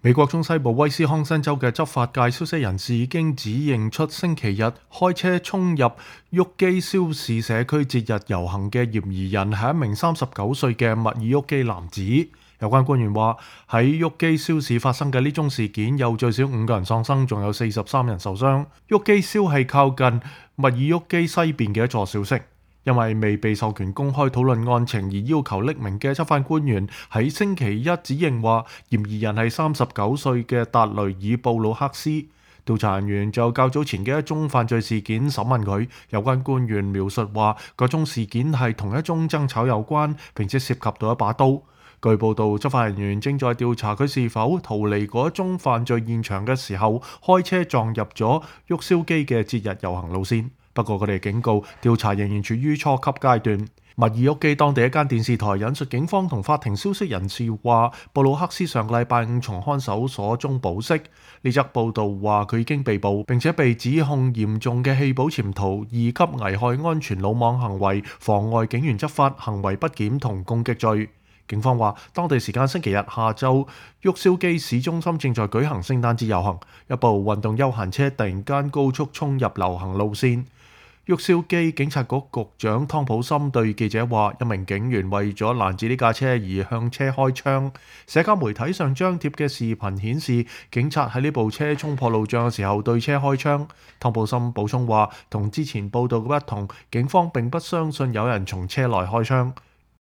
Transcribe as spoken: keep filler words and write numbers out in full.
美國中西部威斯康辛州嘅執法界消息人士已經指認出星期日開車衝入沃基肖市社區節日遊行嘅嫌疑人係一名三十九歲嘅密爾沃基男子。有關官員話，喺沃基肖市發生嘅呢宗事件有最少五個人喪生，仲有四十三人受傷。沃基肖係靠近密爾沃基西邊嘅一座小城。因為未被授權公開討論案情而要求匿名嘅執法官員喺星期一指認話，嫌疑人係三十九歲嘅達雷爾布魯克斯。調查人員就較早前嘅一宗犯罪事件審問佢，有關官員描述話，嗰宗事件係同一宗爭吵有關，並且涉及到一把刀。據報道，執法人員正在調查佢是否逃離嗰宗犯罪現場嘅時候開車撞入咗沃肖基嘅節日遊行路線。不過佢哋警告，調查仍然處於初級階段。密爾沃基當地一間電視台引述警方同法庭消息人士話，布魯克斯上個禮拜五從看守所中保釋。呢則報道話佢已經被捕，並且被指控嚴重嘅棄保潛逃、二級危害安全魯莽行為、妨礙警員執法、行為不檢同攻擊罪。警方話，當地時間星期日下晝，沃肖基市中心正在舉行聖誕節遊行，一部運動休閒車突然間高速衝入遊行路線。沃肖基警察局局長湯普森對記者話，一名警員為咗攔止呢架車而向車開槍。社交媒體上張貼嘅視頻顯示，警察喺呢部車衝破路障嘅時候對車開槍。湯普森補充話，同之前報道嘅不同，警方並不相信有人從車內開槍。